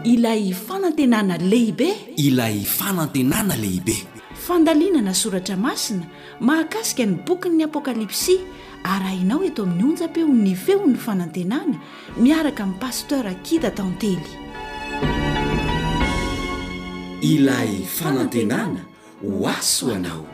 Ilay fanantenana lehibe. Ilay fanantenana lehibe. Fandalinana soratra masina mahakasika ny bokin'ny Apokalypsy arahinao eto amin'ny onjam-peon'ny Feon'ny Fanantenana miaraka amin'i Pasteur Kida Tantely. Ilay fanantenana ho ahy sy ho anao.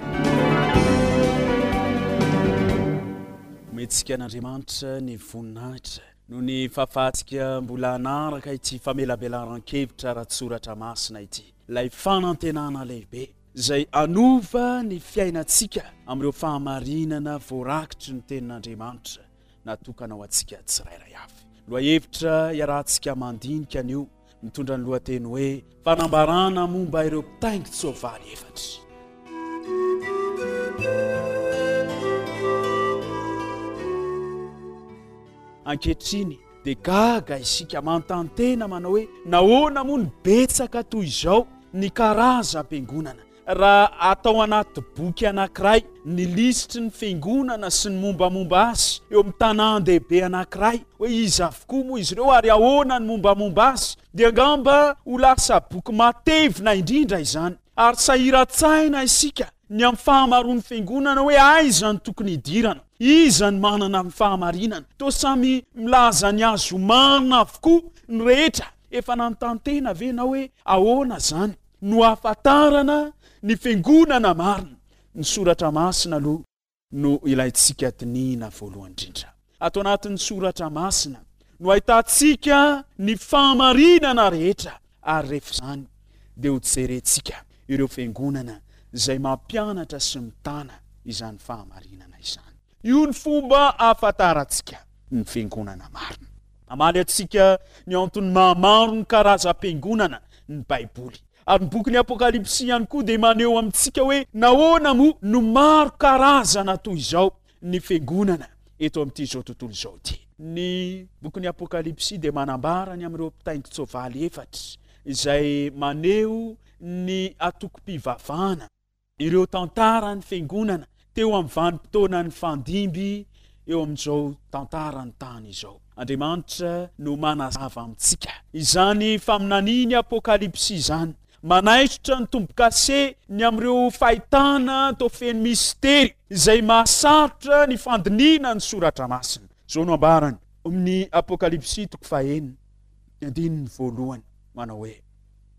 Omentsika an'Andriamanitra ny voninahitra noho ny fahafahantsika mbola hanaraka ity famelabelaran-kevitra ara-tsoratra masina ity, ilay fanantenana lehibe izay hanova ny fiainantsika amin'ireo fahamarinana voarakitry ny Tenin'Andriamanitra natokana ho antsika tsirairay avy. Lohahevitra iarahantsika mandinika anio Mitondra ny lohateny hoe Fanambarana momba ireo mpitaingin-tsoavaly efatra. Ankehitriny dia gaga isika manontany tena manao hoe nahoana moa no betsaka toy izao ny karazam-piangonana? Raha atao anaty boky anankiray ny lisitry ny fiangonana sy ny mombamomba azy eo amin'ny tanàn-dehibe anankiray, hoe iza avokoa moa izy ireo ary ahoana ny mombamomba azy, dia angamba ho lasa boky matevina indrindra izany. Ary sahiran-tsaina isika ny amin'ny fahamaroan'ny fiangonana hoe aiza no tokony hidirana, iza no manana ny fahamarinana. Toa samy milaza ny azy ho marina avokoa ny rehetra. Efa nanontany tena ve ianao hoe ahoana izany? no ahafantarana ny fiangonana marina. Ny soratra masina aloha no ilaintsika dinihina voalohany indrindra. Ato anatin'ny soratra masina no ahitantsika ny fahamarinana rehetra ary rehefa izany dia ho jerentsika ireo fiangonana izay mampianatra sy mitana izany fahamarinana izany. Io ny fomba ahafantarantsika ny fiangonana marina. Mamaly antsika ny antony maha-maro ny karazam-piangonana ny Baiboly. Ary ny bokin'ny Apokalypsy ihany koa dia maneho amintsika hoe nahoana moa no maro karazana toy izao ny fiangonana eto amin'ity izao tontolo izao ity. Ny bokin'ny Apokalypsy dia manambara ny amin'ireo mpitaingin-tsoavaly efatra izay maneho ny antokom-pivavahana. Ireo tantaran'ny Fiangonana teo amin'ny vanim-potoanan'ny fandimby eo amin'izao tantaran'ny tany izao. Andriamanitra no manazava amintsika izany faminanian'ny Apokalypsy izany, manaisotra ny tombo-kase ny amin'ireo fahitana toa feno mistery izay mahasarotra ny fandinihina ny Soratra Masina. Izao no ambarany ao amin'ny Apokalypsy toko fahenina, andininy voalohany, manao hoe.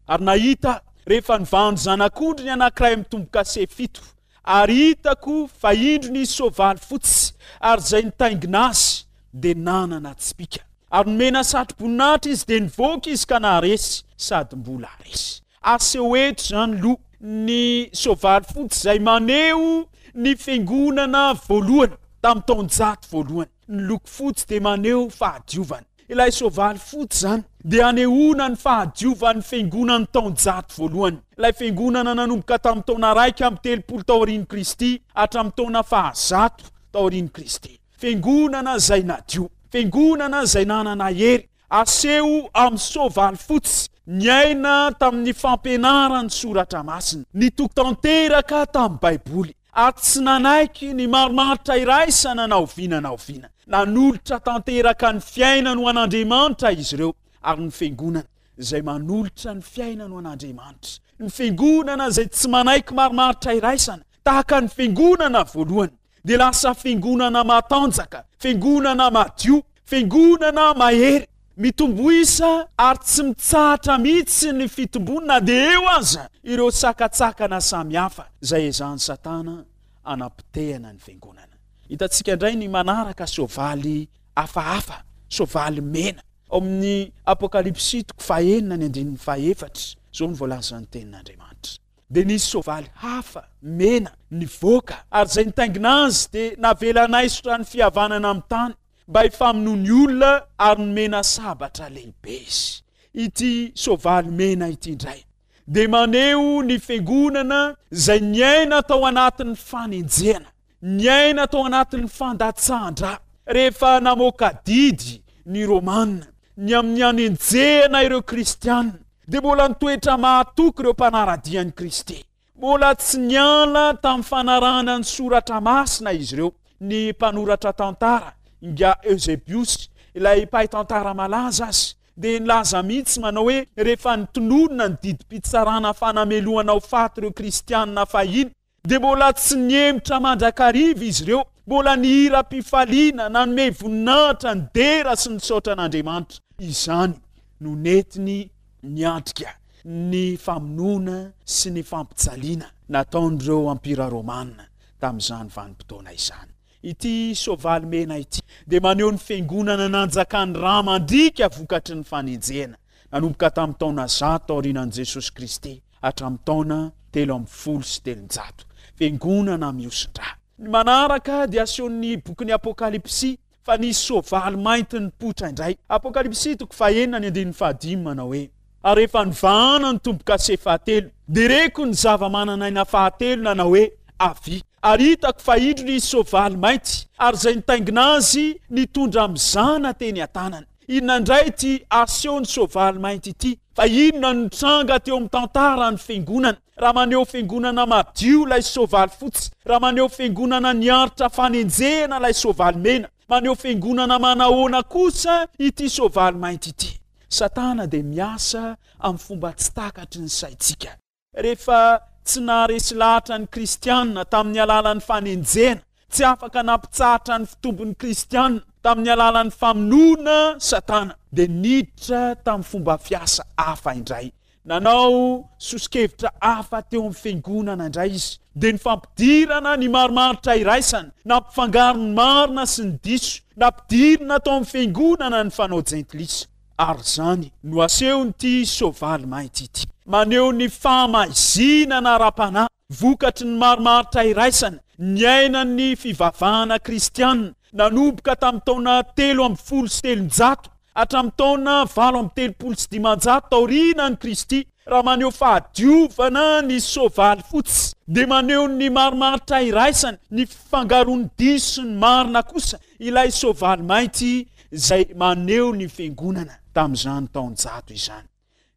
Ary nahita rehefa nivahan'ny zanak'ondry ny anankiray amin'ny tombo-kase fito, ary hitako fa indro nisy soavaly fotsy, ary izay nitaingina azy dia nanana tsipìka. Ary nomena satroboninahitra izy, dia nivoaka izy ka naharesy, sady mbola resy. Aseho eto izany loha ny soavaly fotsy izay maneho ny fiangonana voalohany tamin'ny taonjato voalohany. Ny loko fotsy dia maneho fahadiovana. Ilay soavaly fotsy izany dia anehoana ny fahadiovan'ny Fiangonan'ny taonjato voalohany. Ilay Fiangonana nanomboka tamin'ny taona 31 taorian'i Kristy hatramin'ny taona fahazato taorian'i Kristy. Fiangonana izay nadio. Fiangonana izay nanana hery. Aseho amin'ny soavaly fotsy niaina tamin'ny fampianaran'ny Soratra Masina. Nitoky tanteraka tamin'ny Baiboly. ary tsy nanaiky ny marimaritra iraisana na oviana na oviana. Nanolotra tanteraka ny fiainany ho an'Andriamanitra izy ireo, ary ny Fiangonana izay manolotra ny fiainany ho an'Andriamanitra, ny Fiangonana izay tsy manaiky marimaritra iraisana, tahaka ny Fiangonana voalohany, dia lasa Fiangonana matanjaka, Fiangonana madio, Fiangonana mahery, mitombo isa ary tsy mitsahatra mihitsy ny fitombony na dia eo aza ireo sakantsakana samihafa izay ezahan'i Satana hanapotehana ny Fiangonana. Hitantsika indray ny manaraka soavaly hafahafa, soavaly mena. Ao amin'ny Apokalypsy toko fahenina ny andininy fahefatra, izao no voalazan'ny Tenin'Andriamanitra. Dia nisy soavaly hafa, mena, nivoaka, ary izay nitaingina azy dia navela hanaisotra ny fihavanana amin'ny tany, mba hifamonoa ny olona, ary nomena sabatra lehibe izy. Ity soavaly mena ity indray dia maneho ny fiangonana izay niaina tao anatin'ny fanenjehana. Niaina tao anatin'ny fandatsahan-dra rehefa namoaka didy ny Romana ny amin'ny hanenjehana ireo Kristiana, dia mbola nitoetra mahatoky ireo mpanara-dia an'i Kristy. Mbola tsy niala tamin'ny fanarahana ny Soratra Masina izy ireo. Ny mpanoratra tantara, Ingahy Eusebius, ilay mpahay tantara malaza aza, dia nilaza mihitsy manao hoe rehefa nitononina ny didim-pitsarana fanamelohana ho faty ireo kristianina fahiny dia mbola tsy nihemotra mandrakariva izy ireo, mbola nihira am-pifaliana, nanome voninahitra, nidera sy nisaotra an'Andriamanitra. Izany no nentiny niatrika ny famonoana sy ny fampijaliana nataon'ireo ampira romana tamin'izany vanim-potoana izany. Ity soavaly mena ity dia maneho ny fiangonana nanjakan'ny rà mandriaka vokatry ny fanenjehana nanomboka tamin'ny taona zato taorianan'i Jesosy Kristy hatramin'ny taona 313. Fiangonana mihosin-drà. Ny manaraka dia asehon'ny bokin'ny Apokalypsy fa nisy soavaly mainty nipoitra indray. Apokalypsy toko fahenina ny andininy fahadimy manao hoe, Ary rehefa nivahana ny tombo-kase fahatelo, dia reko ny zava-manan'aina fahatelo nanao hoe, Avia. Ary hitako fa indro nisy soavaly mainty, ary izay nitaingina azy nitondra mizana teny an-tanany. Inona indray ity asehon'ny soavaly mainty ity? Fa inona no nitranga teo amin'ny tantaran'ny fiangonana? Raha maneho fiangonana madio ilay soavaly fotsy, raha maneho fiangonana niaritra fanenjehana ilay soavaly mena, maneho fiangonana manahoana kosa ity soavaly mainty ity? Satana dia miasa amin'ny fomba tsy takatry ny saintsika. Rehefa tsy naharesy lahatra ny Kristianina tamin'ny alalan'ny fanenjehana, tsy afaka nampitsahatra ny fitombon'ny Kristianina tamin'ny alalan'ny famonoana Satana, dia niditra tamin'ny fomba fiasa hafa indray. Nanao soso-kevitra hafa teo amin'ny fiangonana indray izy, dia ny fampidirana ny marimaritra iraisana, nampifangaro ny marina sy ny diso, nampidirina tao amin'ny fiangonana ny fanao jentilisa. Ary izany no asehon'ity soavaly mainty ity. Maneho ny fahamaizinana ara-panahy vokatry ny marimaritra iraisana niainan'ny fivavahana kristiana nanomboka tamin'ny taona 313 hatramin'ny taona 538 taorianan'i Kristy. Raha maneho fahadiovana ny soavaly fotsy, dia maneho ny marimaritra iraisana, ny fifangaroan'ny diso sy ny marina kosa ilay soavaly mainty izay maneho ny Fiangonana tamin'izany taonjato izany.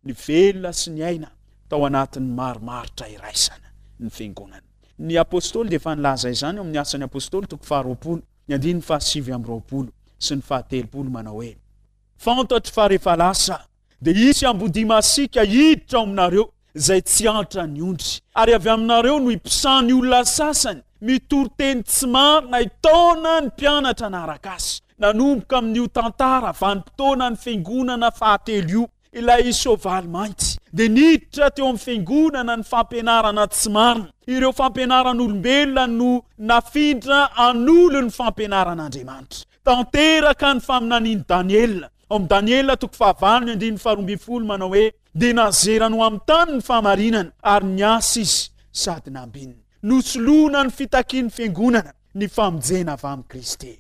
Ny velona sy ny aina tao anatin'ny marimaritra iraisana ny Fiangonana. Ny Apostoly dia efa nilaza izany ao amin'ny Asan'ny Apostoly toko faharoapolo, ny andininy fahasivy amby roapolo sy ny fahatelopolo manao hoe, Fantatro fa rehefa lasa Dia hisy ambodia masiaka hiditra ao aminareo, izay tsy antra ny ondry. Ary avy aminareo no hiposahan'ny olona sasany mitory teny tsy marina hitaona ny mpianatra hanaraka azy. Nanomboka amin'io tantara vanim-potoanan'ny fiangonana fahatelo io, ilay soavaly mainty dia niditra teo amin'ny fiangonana ny fampianarana tsy marina. Ireo fampianaran'olombelona no nafindra hanolo ny fampianaran'Andriamanitra. Tanteraka ny faminanian'i Daniela. Ao amin'ny Daniela toko fahavalo ny andininy faharoa ambin'ny folo manao hoe, Dia nazerany ho amin'ny tany ny fahamarinana, ary niasa izy sady nambinina. Nosoloana ny fitakian'ny fiangonana ny famonjena avy amin'i Kristy.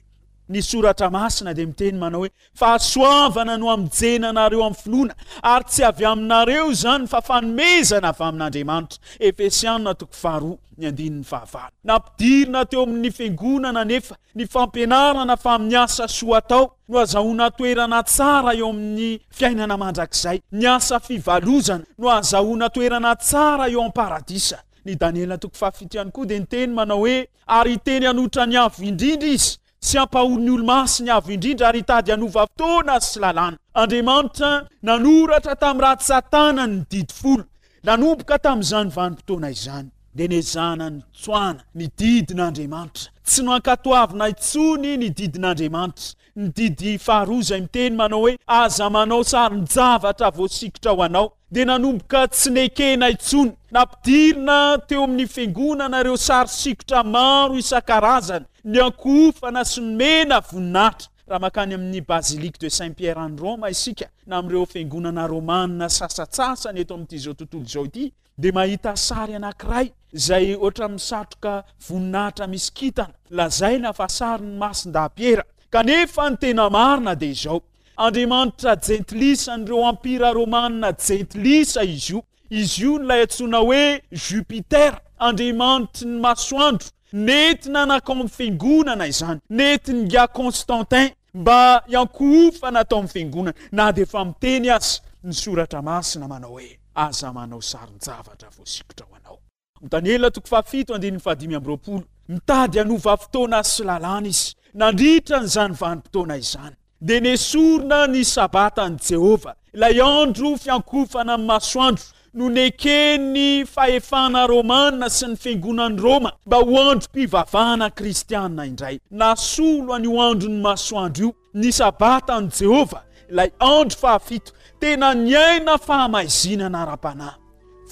Ny Soratra Masina dia miteny manao hoe, Fahasoavana no hamonjena anareo amin'ny finoana, ary tsy avy aminareo izany fa fanomezana avy amin'Andriamanitra. Efesiana toko faharoa ny andininy fahavalo. Nampidirina teo amin'ny fiangonana anefa Ny fampianarana fa amin'ny asa soa atao no azahoana toerana tsara eo amin'ny fiainana mandrakizay. Ny asa fivalozana no ahazahoana toerana tsara eo am-paradisa. Ny Daniela toko fahafito ihany koa dia niteny manao hoe, Ary hiteny hanotra ny Avo Indrindra izy, sy hampahory ny olo-masiny Avo Indrindra, ary hitady hanova fotoana sy lalàna. Andriamanitra nanoratra tamin'ny ratsan-tanany ny Didy Folo. Nanomboka tamin'izany vanim-potoana izany, dia nezahana nitsoahana ny didin'Andriamanitra. Tsy nankatoavina intsony ny didin'Andriamanitra. Ny didy faharoa izay miteny manao hoe, Aza manao sarin-javatra voasikotra ho anao, dia nanomboka tsy nekena intsony. Nampidirina teo amin'ny fiangonana ireo sary sikotra maro isan-karazany, niankohofana sy nomena voninahitra. Raha mankany amin'ny Basilique de Saint Pierre any Roma isika, na amin'ireo fiangonana romana sasantsasany eto amin'ity izao tontolo izao ity, dia mahita sary anankiray izay ohatran'ny misatroka voninahitra misy kintana, lazaina fa sarin'i Masindahy Piera. Kanefa ny tena marina dia izao, Andriamanitra jentilisa an'ireo ampira romana jentilisa izy io. Izy io no ilay antsoina hoe Jupiter, andriamanitry ny masoandro. Nentina nankao amin'ny fiangonana izany. Nentin'ingahy Constantin mba hiankohofana tao amin'ny fiangonana, na dia efa miteny aza ny Soratra Masina manao hoe, Aza manao sarin-javatra voasikotra ho anao. Daniela toko fahafito andininy fahadimy amby roapolo. Mitady hanova fotoana sy lalàna izy nandritra an'izany vanim-potoana izany. dia nesorina ny Sabatan'i Jehovah, ilay andro fiankofana amin'ny masoandro, no neken'ny fahefana romana sy ny fiangonan'i Roma mba ho androm-pivavahana kristiana indray. Nasolo an'io andron'ny masoandro io ny Sabatan'i Jehovah, ilay andro fahafito. Tena niaina fahamaizinana ara-panahy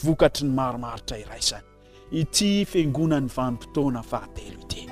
vokatry ny marimaritra iraisana. ity Fiangonan'ny vanim-potoana fahatelo ity.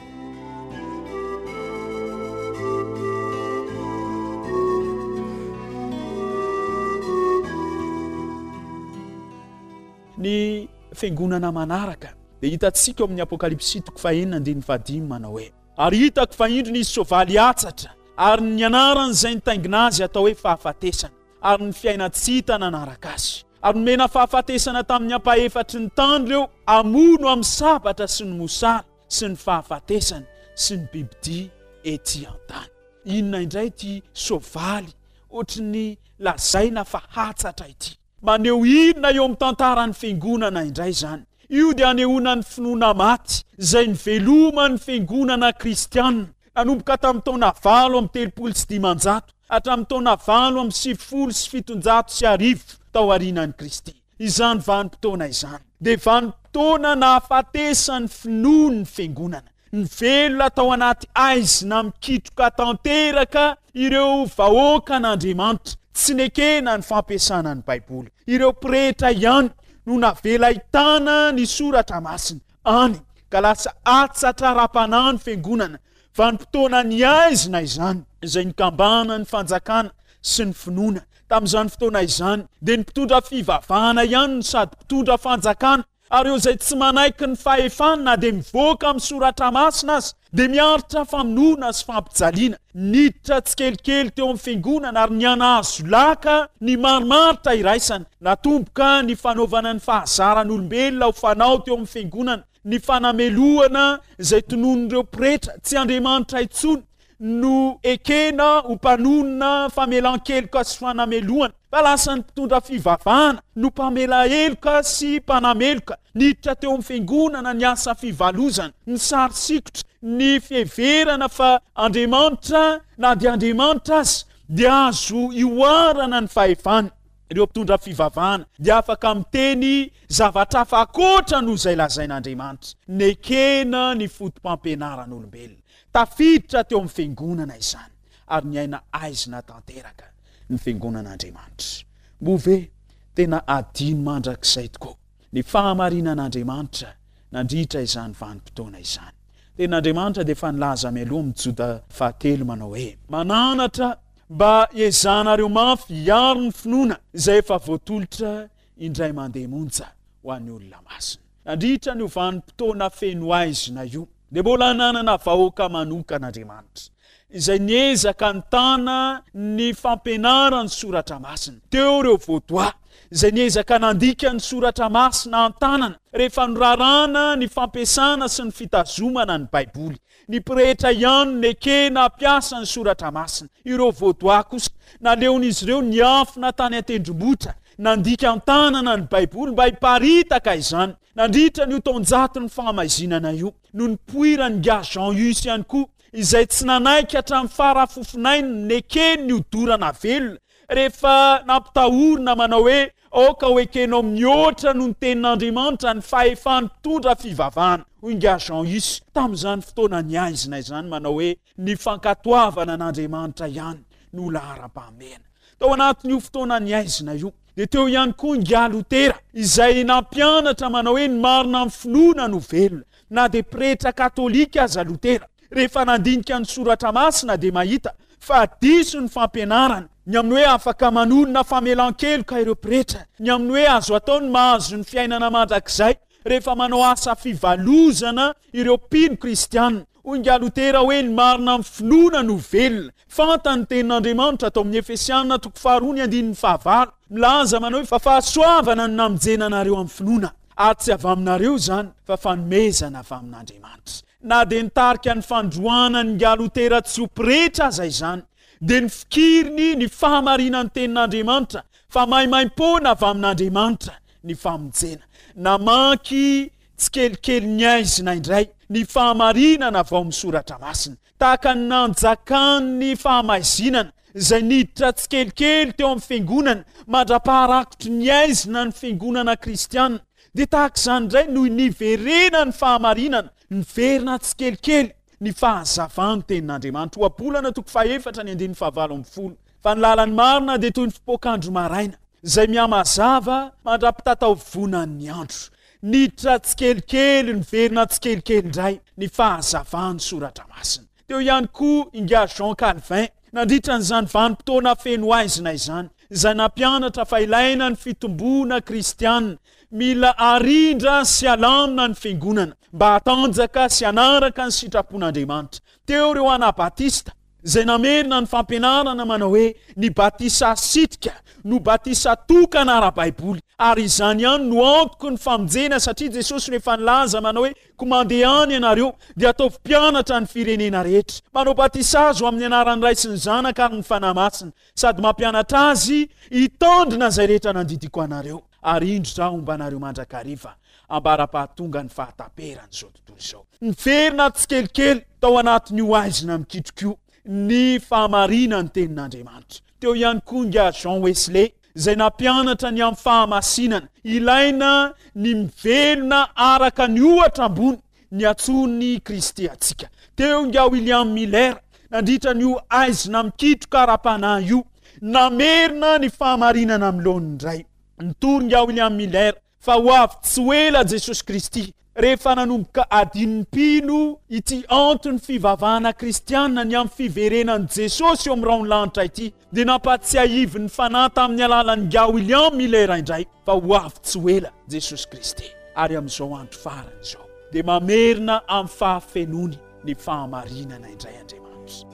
Ny fiangonana manaraka dia hitantsika ao amin'ny Apokalypsy toko fahenina andininy fahadimy manao hoe ary hitako fa indro nisy soavaly hatsatra ary ny anaran'izay nitaingina azy atao hoe fahafatesana ary ny fiainan-tsy hita nanaraka azy. Ary nomena fahafatesana tamin'ny ampahefatry ny tany ireo hamono amin'ny sabatra sy ny mosary sy ny fahafatesana sy ny bibidia ety an-tany. Inona indray ity soavaly ohatry ny lazaina fa hatsatra ity? Maneho inona eo amin'ny tantaran'ny Fiangonana indray izany? Io dia anehoana ny finoana maty izay niveloman'ny Fiangonana kristiana nanomboka tamin'ny taona 538 hatramin'ny taona 1798 tao aorianan'i Kristy. Izany vanim-potoana izany dia vanim-potoana nahafatesan'ny finoan'ny Fiangonana. Nivelona tao anaty haizina mikitroka tanteraka ireo vahoakan'Andriamanitra. Tsy nekena ny fampiasana ny Baiboly. Ireo pretra ihany no navela hitana ny Soratra Masina. Any ka lasa hatsatra ara-panahy ny Fiangonana. Vanim-potoana nihaizina izany, izay nikambanan'ny fanjakana sy ny finoana. Tamin'izany fotoana izany, dia ny mpitondra fivavahana ihany no sady mpitondra fanjakana, ary ireo izay tsy manaiky ny fahefany na dia mivoaka amin'ny Soratra Masina aza, dia miaritra famonoana sy fampijaliana. Niditra tsikelikely teo amin'ny Fiangonana ary nihanahazo laka ny marimaritra iraisana. Natomboka ny fanaovana ny fahazaran'olombelona ho fanao teo amin'ny Fiangonana ny fanamelohana izay tononin'ireo pretra, tsy Andriamanitra intsony no ekena ho mpanonona famelan-keloka sy fanamelohana, fa lasa ny mpitondra fivavahana no mpamela heloka sy mpanameloka. Niditra teo amin'ny fiangonana ny asa fivalozana, ny sary sikotra, ny fiheverana fa Andriamanitra, na dia Andriamanitra aza, dia azo ihoarana ny fahefany. Ireo mpitondra fivavahana dia afaka miteny zavatra hafa ankoatra noho izay lazain'Andriamanitra. Nekena ny foto-pampianaran'olombelona. Tafiditra teo amin'ny Fiangonana izany, ary niaina haizina tanteraka ny Fiangonan'Andriamanitra. Moa ve tena hadino mandrakizay tokoa ny fahamarinan'Andriamanitra nandritra izany vanim-potoana izany? Tenin'Andriamanitra dia efa nilaza mialoha amin'ny Joda fahatelo manao hoe. Mananatra mba hiezahanareo mafy hiaro ny finoana izay efa voatolotra indray mandeha monja ho an'ny olona masina. Nandritra an'io vanim-potoana feno haizina io, dia mbola nanana vahoaka manokana Andriamanitra, izay niezaka nitana ny fampianaran'ny Soratra Masina. Teo ireo Vaudois, izay niezaka nandika ny Soratra Masina an-tanana, rehefa norarana ny fampiasana sy ny fitazomana ny Baiboly. Ny pretra ihany no nekena hampiasa ny Soratra Masina. Ireo Vaudois kosa, naleon'izy ireo niafina tany an-tendrombohitra, nandika an-tanana ny Baiboly mba hiparitaka izany. Nandritra an'io taonjaton'ny fahamaizinana io, no nipoiran'ingahy Jean Hus ihany koa, izay tsy nanaiky hatramin'ny fara-fofonainy ny nekeny ny hodorana velona, Rehefa nampitahorina manao hoe, Aoka ho ekenao mihoatra noho ny Tenin'Andriamanitra ny fahefan'ny mpitondra fivavahana, hoy ingahy Jean Hus, tamin'izany fotoana nihaizina izany, manao hoe, Ny fankatoavana an'Andriamanitra ihany no laharam-pahamehana. Tao anatin'io fotoana nihaizina io, dia teo ihany koa ingahy Lotera, izay nampianatra manao hoe, Ny marina amin'ny finoana no velona. Na dia pretra katolika aza Lotera, rehefa nandinika ny Soratra Masina dia mahita fa diso ny fampianarana, ny amin'ny hoe afaka manorina famelan-keloka ireo pretra, ny amin'ny hoe azo atao ny mahazo ny fiainana mandrakizay rehefa manao asa fivalozana ireo mpino kristiana. Hoy ingahy Lotera hoe ny marina amin'ny finoana no velona. Fantany ny tenin'Andriamanitra tao amin'ny Efesiana toko faharoa ny andininy fahavalo, milaza manao hoe fa fahasoavana no namonjena anareo amin'ny finoana, ary tsy avy aminareo izany fa fanomezana avy amin'Andriamanitra. Na dia nitarika ny fandroahana an'ingahy Lotera tsy ho pretra aza izany, dia nifikiriny ny fahamarinan'ny Tenin'Andriamanitra fa maimaimpoana avy amin'Andriamanitra ny famonjena. Namaky tsikelikely ny haizina indray ny fahamarinana avy ao amin'ny Soratra Masina. Tahaka ny nanjakan'ny fahamaizinana. izay niditra tsikelikely teo amin'ny fiangonana mandra-paharakotry ny haizina ny fiangonana kristiana. Dia tahaka izany indray no niverenan'ny fahamarinana, niverina tsikelikely ny fahazavan'ny Tenin'Andriamanitra. Ohabolana toko fahefatra ny andininy fahavalo ambin'ny folo. Fa ny lalan'ny marina dia toy ny fipoak'andro maraina, izay mihamazava mandra-pitataovonan'ny andro. Niditra tsikelikely, niverina tsikelikely indray ny fahazavan'ny Soratra Masina. Teo ihany koa Ingahy Jean Calvin, nandritra an'izany vanim-potoana feno haizina izany, izay nampianatra fa ilaina ny fitomboana kristiana, mila arindra sy alamina ny fiangonana mba hatanjaka sy hanaraka ny sitrapon'Andriamanitra. Teo ireo Anabatista, izay namerina ny fampianarana manao hoe ny batisa asitrika no batisa tokana ara-baiboly, ary izany ihany no antoky ny famonjena satria Jesosy no efa nilaza manao hoe Koa mandehana ianareo, dia ataovy mpianatra ny firenena rehetra. Manao batisa azy ho amin'ny anaran'ny Ray sy ny Zanaka ary ny Fanahy Masina, sady mampianatra azy hitandrina izay rehetra nandidiako anareo. Ary indro Izaho homba anareo mandrakariva, ambara-pahatonga ny fahataperan'izao tontolo izao. Niverina tsikelikely tao anatin'io haizina mikitroka io ny fahamarinan'ny Tenin'Andriamanitra. Teo ihany koa ingahy Jean Wesley, izay nampianatra ny amin'ny fahamasinana. Ilaina ny mivelona araka ny ohatra ambony niantsoan'i Kristy antsika. Teo ingahy William Miller, nandritra an'io haizina mikitroka ara-panahy io, namerina ny fahamarinana amin'ny laoniny indray. Nitory ingahy William Miller fa ho avy tsy ho ela Jesosy Kristy. Rehefa nanomboka adin'ny mpino ity anton'ny fivavahana kristiana ny amin'ny fiverenan'i Jesosy eo amin'ny rahon'ny lanitra ity, dia nampahatsiahivin'ny Fanahy tamin'ny alalan'ingahy William Miller indray fa ho avy tsy ho ela Jesosy Kristy, ary amin'izao andro farany izao dia mamerina amin'ny fahafenoany ny fahamarinana indray Andriamanitra.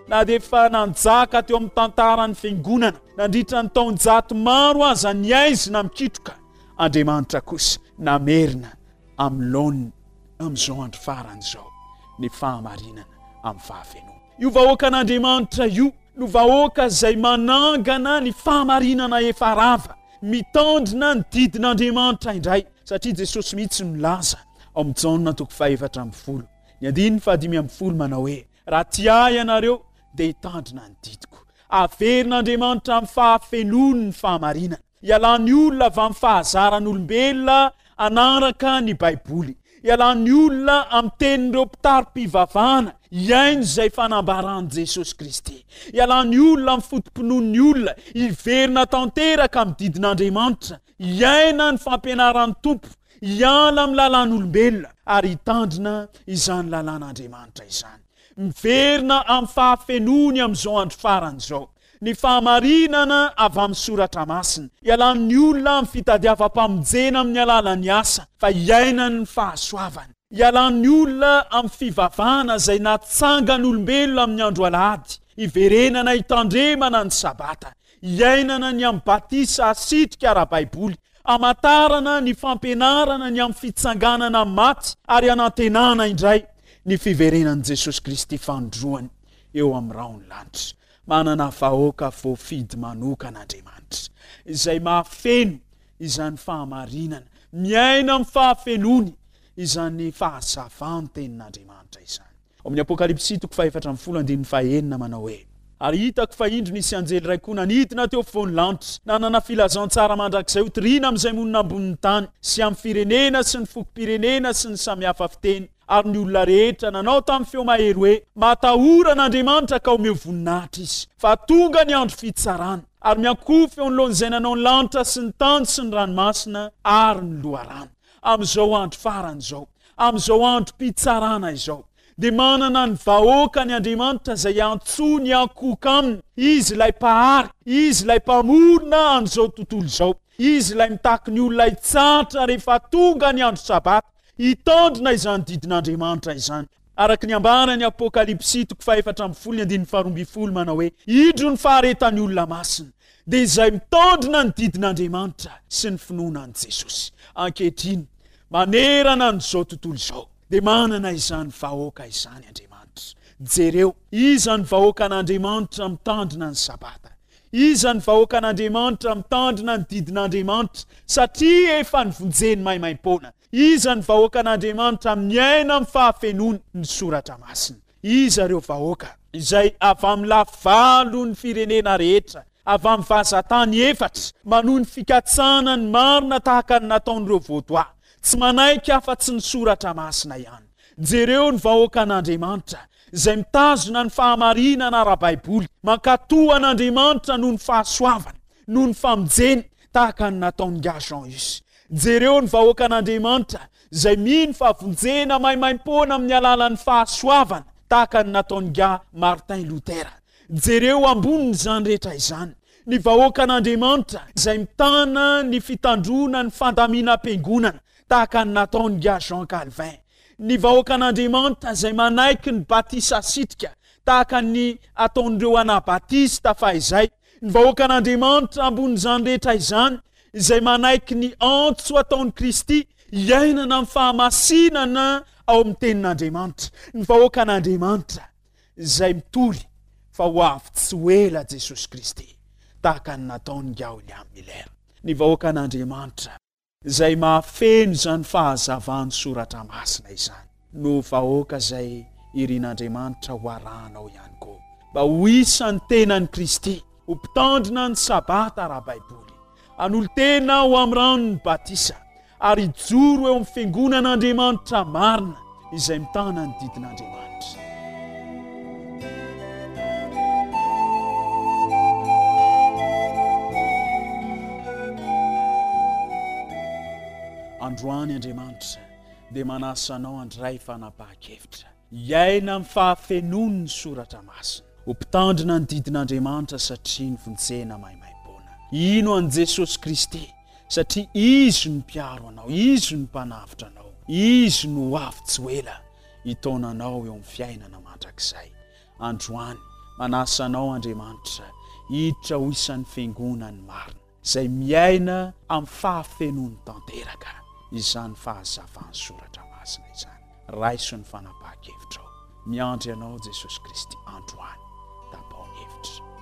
Na dia efa nanjaka teo amin'ny tantaran'ny Fiangonana nandritra ny taonjato maro aza ny haizina mikitroka, Andriamanitra kosa namerina amin'ny laoniny amin'izao andro farany izao ny fahamarinana amin'ny fahafenoana. Io vahoakan'Andriamanitra io no vahoaka izay manangana ny fahamarinana efa rava, mitandrina ny didin'Andriamanitra indray, satria Jesosy mihitsy no nilaza ao amin'ny Jaona toko faha-14, ny andininy faha-15 manao hoe, Raha tia Ahy ianareo, dia hitandrina ny didiko. Averin'Andriamanitra amin'ny fahafenoany ny fahamarinana. Ialan'ny olona avy amin'ny fahazaran'olombelona hanaraka ny Baiboly. Ialan'ny olona amin'ny tenin'ireo mpitari-pivavahana hihaino izay fanambaran'i Jesosy Kristy. Ialan'ny olona amin'ny foto-pinoan'ny olona hiverina tanteraka amin'ny didin'Andriamanitra, hiaina ny fampianaran'ny Tompo, hiala amin'ny lalàn'olombelona ary hitandrina izany lalàn'Andriamanitra izany. Miverina amin'ny fahafenoany amin'izao andro farany izao. Ny fahamarinana avy amin'ny Soratra Masina. Ialan'ny olona amin'ny fitadiavam-pamonjena amin'ny alalan'ny asa, fa iainany ny fahasoavana. Ialan'ny olona amin'ny fivavahana izay natsangan'olombelona amin'ny andro alahady, hiverenana hitandremana ny Sabata. Iainana ny amin'ny batisa asitrika ara-baiboly, hamantarana ny fampianarana ny amin'ny fitsanganana amin'ny maty ary hanantenana indray ny fiverenan'i Jesosy Kristy fanindroany eo amin'ny rahon'ny lanitra. Manana vahoaka voafidy manokana Andriamanitra, izay mahafeno izany fahamarinana, miaina amin'ny fahafenoany izany fahazavan'ny Tenin'Andriamanitra izany. Ao amin'ny Apokalypsy toko fahefatra ambin'ny folo andininy fahenina manao hoe. Ary hitako fa indro nisy anjely iray koa nanidina teo afovoan'ny lanitra, nanana filazantsara mandrakizay hotorina amin'izay monina ambonin'ny tany, sy amin'ny firenena sy ny fokom-pirenena sy ny samihafa fiteny, ary ny olona rehetra nanao tamin'ny feo mahery hoe, Matahora an'Andriamanitra ka omeo voninahitra Izy, fa tonga ny andro fitsarana, ary miankohofa eo anoloan'izay nanao ny lanitra sy ny tany sy ny ranomasina ary ny loharano. Amin'izao andro farany izao, amin'izao androm-pitsarana izao, dia manana ny vahoakany Andriamanitra izay antsoiny hiankohoka aminy. Izy ilay Mpahary, Izy ilay Mpamorona an'izao tontolo izao, Izy ilay mitaky ny olona hitsahatra rehefa tonga ny andro Sabata, Hitandrina izany didin'Andriamanitra izany, araka ny ambaran'ny Apokalypsy toko fahefatra ambin'ny folo ny andininy faharoa ambin'ny folo manao hoe, Indro ny faharetan'ny olona masina, dia izay mitandrina ny didin'Andriamanitra sy ny finoana an'i Jesosy. Ankehitriny, manerana an'izao tontolo izao, dia manana izany vahoaka izany Andriamanitra. Jereo, iza ny vahoakan'Andriamanitra mitandrina ny Sabata? Iza ny vahoakan'Andriamanitra mitandrina ny didin'Andriamanitra satria efa novonjeny maimaimpoana? Iza ny vahoakan'Andriamanitra miaina amin'ny fahafenoany ny Soratra Masina? Iza ireo vahoaka izay avy amin'ny lafivalon'ny firenena rehetra, avy amin'ny vazantany efatra, manohy ny fikatsahana ny marina tahaka ny nataon'ireo Vaudois, tsy manaiky afa-tsy ny Soratra Masina ihany? Jereo ny vahoakan'Andriamanitra izay mitazona ny fahamarinana ara-baiboly, mankatò an'Andriamanitra noho ny fahasoavany, noho ny famonjeny, tahaka ny nataon'ingahy Jean Hus. Jereo ny vahoakan'Andriamanitra izay mino fa vonjena maimaimpoana amin'ny alalan'ny fahasoavana, tahaka ny nataon'ingahy Martin Luther. Jereo ambonin'izany rehetra izany, ny vahoakan'Andriamanitra izay mitana ny fitandroana ny fandaminam-piangonana, tahaka ny nataon'ingahy Jean Calvin. Ny vahoakan'Andriamanitra izay manaiky ny batisa asitrika, tahaka ny ataon'ireo Anabatista fahizay. Ny vahoakan'Andriamanitra ambonin'izany rehetra izany, izay manaiky ny antso ataon'i Kristy hiainana amin'ny fahamasinana ao amin'ny Tenin'Andriamanitra. Ny vahoakan'Andriamanitra izay mitory fa ho avy tsy ho ela Jesosy Kristy, tahaka ny nataon'ingahy William Miller. Ny vahoakan'Andriamanitra. Izay mahafeno izany fahazavan'ny Soratra Masina izany no vahoaka izay irin'Andriamanitra ho arahanao ihany koa, mba ho isan'ny tenan'i Kristy, ho mpitandrina ny Sabata ara-baiboly, hanolo-tena ho amin'ny ranon'ny batisa, ary hijoro eo amin'ny Fiangonan'Andriamanitra marina izay mitana ny didin'Andriamanitra. Androany Andriamanitra dia manasa anao handray fanapahan-kevitra, hiaina amin'ny fahafenoany ny Soratra Masina, ho mpitandrina ny didin'Andriamanitra satria novonjena maimaimpoana, hino an'i Jesosy Kristy satria Izy no mpiaro anao, Izy no mpanavotra anao, Izy no ho avy tsy ho ela hitaona anao eo amin'ny fiainana mandrakizay. Androany, manasa anao Andriamanitra hiditra ho isan'ny Fiangonany marina, izay miaina amin'ny fahafenoany tanteraka izany fahazavan'ny Soratra Masina izany. Raiso ny fanapahan-kevitrao. Miandry anao Jesosy Kristy androany. Tapaho ny hevitra.